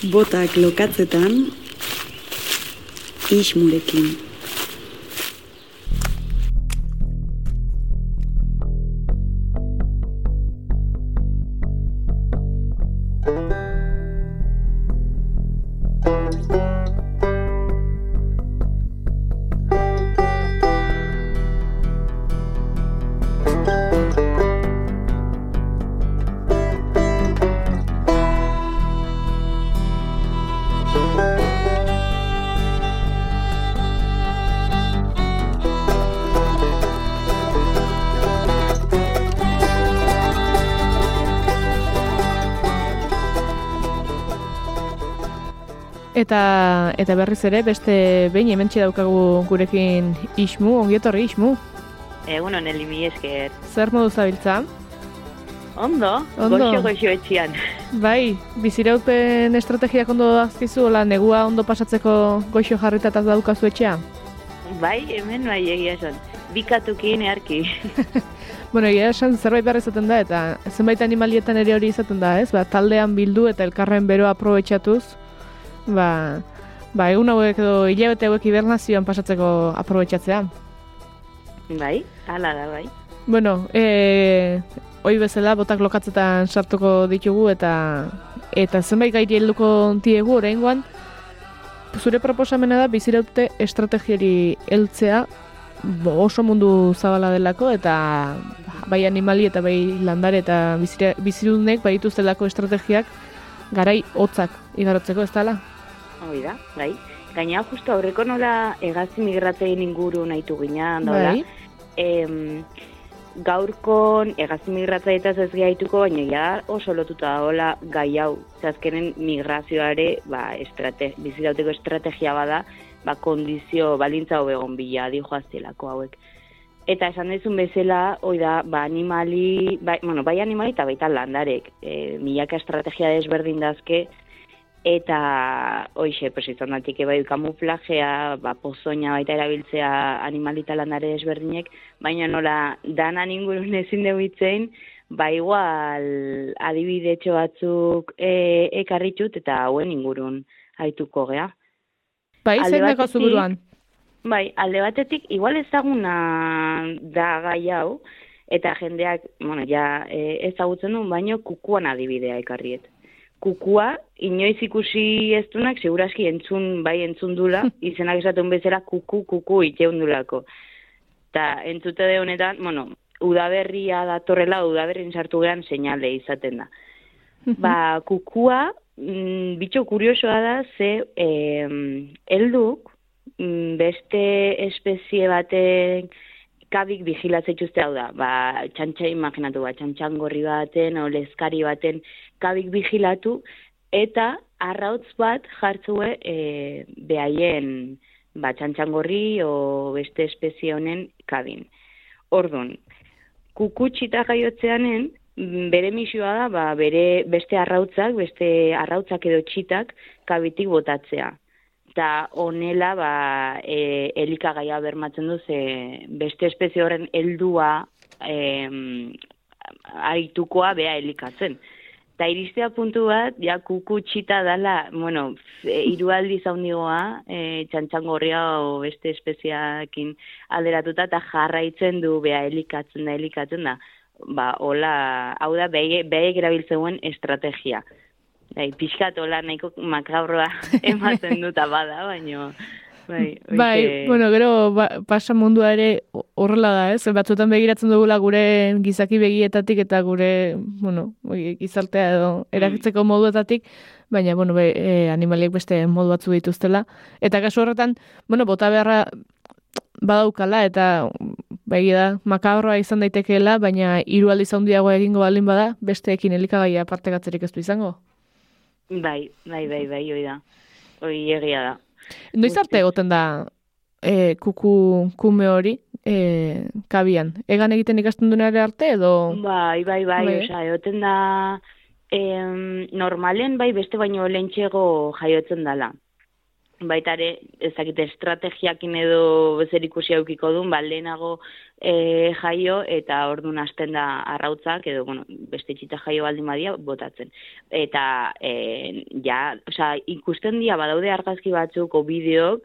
Botak lokatzetan, Ismurekin. Eta berriz ere, beste behin hementxe daukagu gurekin Ismu, ongietorri Ismu. Egunon, Eli, mi esker. Zer modu zabiltza? Ondo. Goxo etxian. Bai, biziraupen estrategiak ondo azkizu, negua ondo pasatzeko goxo jarritataz daukazu etxea? Bai, hemen bai egia esan. Bikatukin earki. Bueno, egia esan zerbait behar izaten da, eta zenbait animalietan ere hori izaten da, ez? Taldean bildu eta elkarren beroa aprobetxatuz, egun hauek edo hilabete hauek hibernazioan pasatzeko aprobetxatzea. Bai, hala da, bai. Bueno, hoi bezala botak lokatzetan sartuko ditugu eta zenbait gairi helduko diegu oraingoan. Zure proposamena da biziraute estrategiari heltzea oso mundu zabala delako eta bai animali eta bai landare eta bizidunek bai dituztelako estrategiak garai hotzak igarotzeko, ez dala? Hoi da, bai. Gaina justu aurreko nola hegazti migratzaien inguru nahitu ginean, dola. Bai. Gaurkon hegazti migratzaietaz ez gehaituko, baina ja oso lotuta dagoela gai hau. Azkenen migrazioare bizirauteko estrategia bada, kondizio balintza hobegon bila dijoaztelako hauek. Eta esan dezun bezala, animali, bai animali eta baita landarek. Milaka estrategia desberdin dazke, eta hoxe, izan datik bai kamuflajea, pozoina baita erabiltzea animali eta landare desberdinek, baina nola danan ingurun ezin dugu itzein, igual adibidetxo batzuk ekarritut eta hauen ingurun haituko gea. Bai, zein dago zuburuan? Bai, alde batetik, igual ezaguna da gai hau, eta jendeak, ezagutzen duen, baino kukuan adibidea ekarriet. Kukua, inoiz ikusi ez dunak, seguraski entzun dula, izenak esatun bezala kuku iteun dulako. Eta entzute de honetan, udaberria datorrela, udaberrin sartu gehan seinale izaten da. Kukua, bitxo kuriosoa da, ze helduk, beste espezie baten kabik vigilatzeituzte hau da. Imaginatu, txantxangorri baten, olezkari baten kabik vigilatu, eta arrautz bat jartzue behaien txantxangorri o beste espezie honen kabin. Orduan, kukutxita jaiotzeanen, bere misioa da, beste arrautzak edo txitak kabitik botatzea. Eta honela, elikagaia bermatzen du, beste espezie horren heldua aritukoa bea elikatzen. Eta iristea puntu bat, kukutxita dala, hiru aldiz haundigoa, txantxangorria o beste espeziakin alderatuta, eta jarraitzen du bea elikatzen da. Hola, hau da, behek erabiltzeuen estrategia. Pixkat hola nahiko makabroa ematen duta bada, baina... Gero pasa mundua ere horrela da, ez? Batzuetan begiratzen dugula gure gizaki begietatik eta gure, gizartea edo erakitzeko moduetatik, baina, animaliek beste modu batzu dituztela. Eta kasu horretan, bota beharra badaukala eta begira makabroa izan daitekeela, baina hiru aldiz handiagoa egingo baldin bada, besteekin elikagaia partekatzerik ez du izango. Bai, hoi da. Hoi egia da. Noiz arte egoten da kume hori kabian? Egan egiten ikasten duenare arte edo? Bai, egoten da normalen beste baino lehentxego jaiotzen dala. baitare, ezakite estrategiakin edo zer ikusi aukiko duen, lehenago jaio, eta orduan hasten da arrautzak, edo, beste txita jaio baldin badia, botatzen. Eta, ikusten dira, badaude argazki batzuk, o bideok,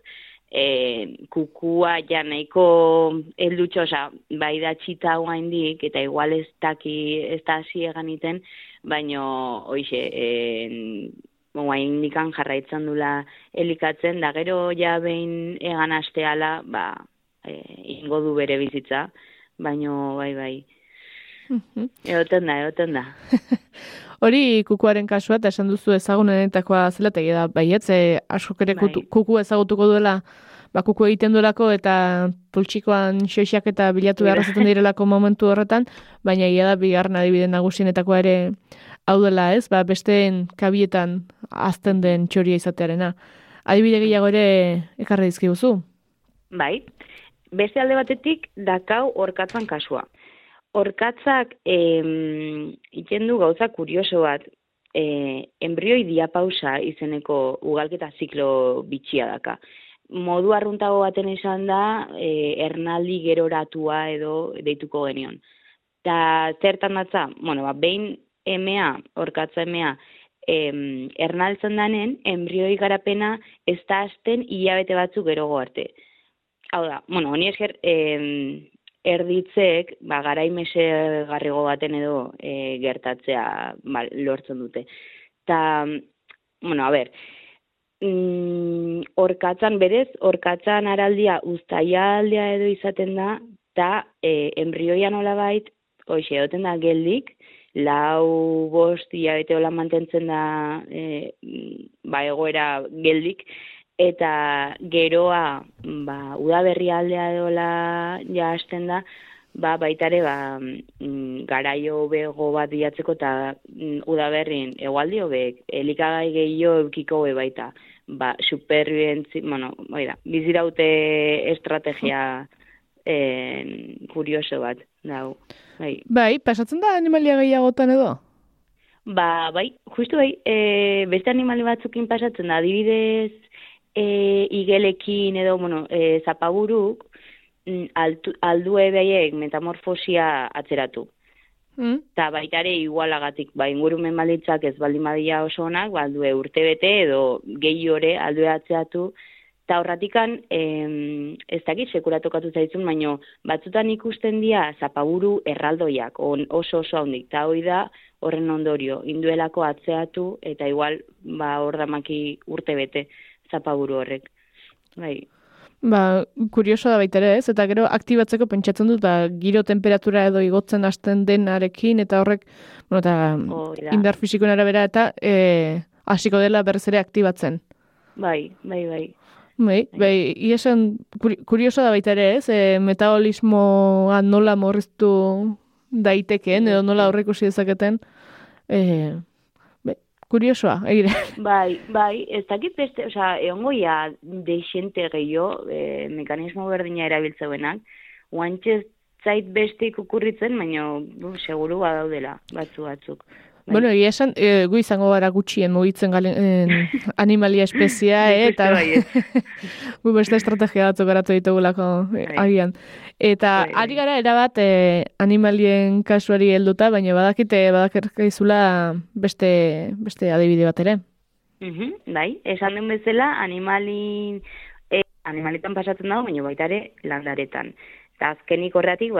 kukua ja nahiko heldutxo, bai da txita guaindik, eta igual ez da hasi eganiten, baino, guain nikan jarraitzen dula elikatzen, da gero ja behin egan asteala, ingo du bere bizitza, baino bai. Egoten da. Hori kukuaren kasua, eta esan duzu ezagunenetakoa zela, eta da, baietz, askok ere kuku ezagutuko duela, kuku egiten duelako, eta pultsikoan xoixak eta bilatu beharrazaten direlako momentu horretan, baina ia da bigarren adibide nagusienetakoa ere hau dela, ez? Besteen kabietan azten den txoria izatearena. Adibide gehiago ere ekarri dizkiguzu? Bai. Beste alde batetik dakau orkatzan kasua. Orkatzak iten du gauza kurioso bat, embrioi diapausa izeneko ugalketa ziklo bitxia daka. Modu arruntago baten esan da, ernaldi geroratua edo deituko genion. Ta zertan datza, behin orkatza emea, ernaltzen danen, embrioi garapena ez da hasten hilabete batzuk gerogo arte. Hau da, honi esker erditzeek, garaimese garrigo baten edo gertatzea lortzen dute. Ta, orkatzan berez, orkatzan araldia uztailaldea edo izaten da, eta embrioia nolabait, egoten da geldik, 4-5 hilabete hola mantentzen da egoera geldik, eta geroa udaberri aldea edola ja hasten da, baitare garaio bego bat bilatzeko eta udaberrin egualdi hobek, elikagai gehiago eukiko baita, supervientzi, biziraute estrategia kurioso bat, dago. Bai, pasatzen da animalia gehiagotan edo? Bai, justu beste animali batzukin pasatzen da, adibidez, igelekin edo, zapaburuk, aldue behaiek metamorfosia atzeratu. Eta baitare igualagatik, ingurumen baldintzak ez baldin badia oso onak, aldue urtebete edo gehi ore aldue atzeratu. Eta horratikan, ez dakit sekula tokatu zaitzun, baino batzutan ikusten dira zapaburu erraldoiak, oso handik. Eta hori da horren ondorio, induelako atzeatu eta igual hor damaki urtebete zapaburu horrek. Bai. Kurioso da baita ere, ez? Eta gero aktibatzeko pentsatzen dut, giro temperatura edo igotzen hasten denarekin, eta horrek, eta indar fisikoen arabera, eta hasiko dela berriz ere aktibatzen. Bai. Iesan, kurioso da baita ere, ez? Metabolismoa nola morriztu daitekeen, edo nola aurreikusi dezaketen, kuriosoa, egire. Bai, ez dakit beste, egongoia deixente gehiago, mekanismo berdina erabiltzeuenak, guantxez zait beste ikukurritzen, baina seguru badaudela, batzuk. Bueno, egia esan, gu izango gara gutxien mugitzen animalia espezia, eta gu beste estrategia batzuk garatu ditugulako agian. Eta ari gara erabat animalien kasuari helduta, baina badakizula beste adibide bat ere. Bai, esan den bezala, animalitan pasatzen dago, baina baita ere landaretan. Eta azkenik horretik,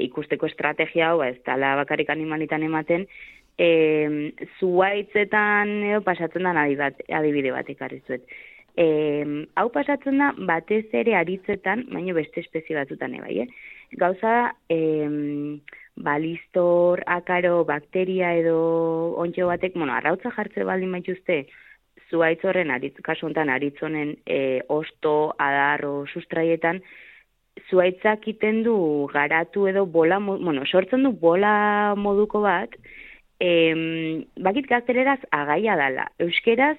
ikusteko estrategia hau, ez dala bakarrik animalitan ematen, zuaitzetan pasatzen da adibide bat ekarrizuet. Hau pasatzen da batez ere aritzetan, baina beste espezie batzutan bai. Gauza, balistor, akaro, bakteria edo ontxo batek, arrautza jartze baldin baituzte, zuaitz horren kasu honetan aritzonen osto, adarro, sustraietan, zuaitzak iten du garatu edo bola, sortzen du bola moduko bat, bakit gazteleraz agaia dala. Euskeraz,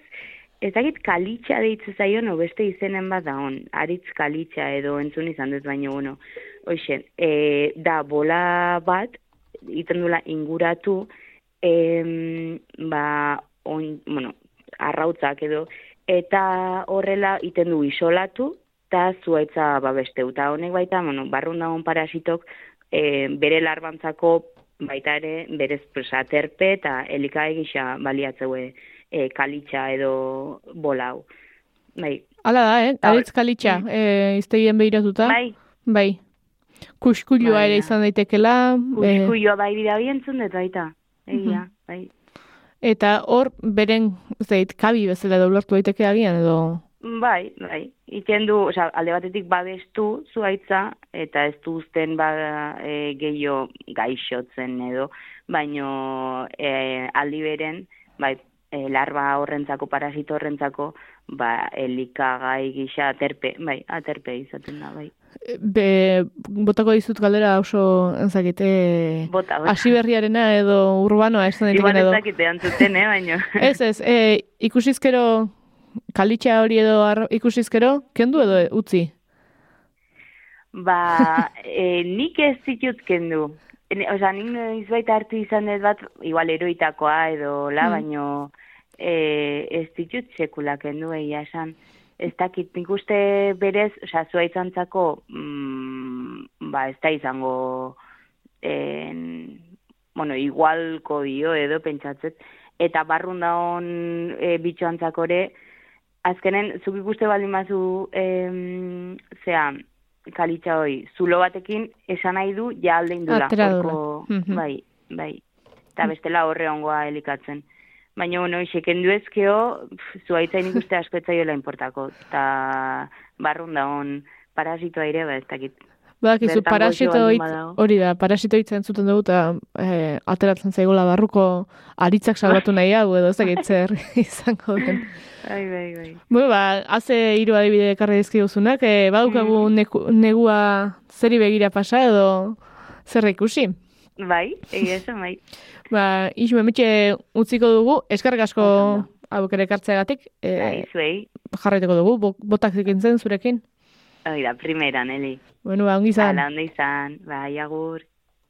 ez dakit kalitxa deitzu zaion, beste izenen bat da hon, aritz kalitxa edo entzun izan dut baino, da bola bat, iten dula inguratu, arrautzak edo, eta horrela iten du isolatu, eta zuaitza babesteu. Eta honek baita, barrun dagoen parasitok bere larbantzako baita ere berez aterpe eta elikagai gisa baliatzeue kalitxa edo bolau. Bai. Hala da, aritz kalitxa, iztegien behiratuta. Bai. Kuskullua ere izan daitekela. Kuskullua bai bida bientzun dut baita. Egia, bai. Eta hor, beren, kabi bezala doblortu daiteke agian edo... Bai. Iten du, alde batetik babestu zuaitza, eta ez du uzten gehiago gaixotzen edo, baino aldi beren, bai, larba horrentzako, parasito horrentzako, elikagai gisa aterpe izaten da, bai. Botako dizut galdera oso enzakite hasiberriarena edo urbanoa esan daiteken edo. Igual ezakite antzuten, baino. Ez, ikusizkero, kalitxa hori edo ikusizkero, kendu edo utzi? Nik ez zitut kendu. Nik izbaita hartu izan dut bat, igual eroitakoa edo baino ez ditut sekula kendu egia esan. Ez dakit, nik uste berez, zuaitzantzako, ez da izango, igualko dio edo pentsatzet, eta barrun daun bitxoantzakore, azkenen, zuk ikuste baldin bazu, kalitxa hoi, zulo batekin esan nahi du, ja alde indula. Bai. Eta bestela horre ongoa elikatzen. Baina, iseken duezkeo, zuaitzain ikuste asko etzaioela importako. Eta barrun daun parasitoa ere, ez dakit. Badakizu, hori da, parasito hitz entzuten dugu, eta ateratzen zaigola barruko aritzak salbatu nahi hau, edo ez dakit zer izango den. Bai. Haze 3 adibide ekarri dizkiguzunak, badukagu negua zeri begira pasa edo zer ikusi? Bai, egia esan, bai. Isu emetxe utziko dugu, eskarrik asko aukere ekartzeagatik. Zuei. Jarraituko dugu, botak zikintzen zurekin. Oida, primera, Neli. Ongi izan. Ondi izan, bai, agur.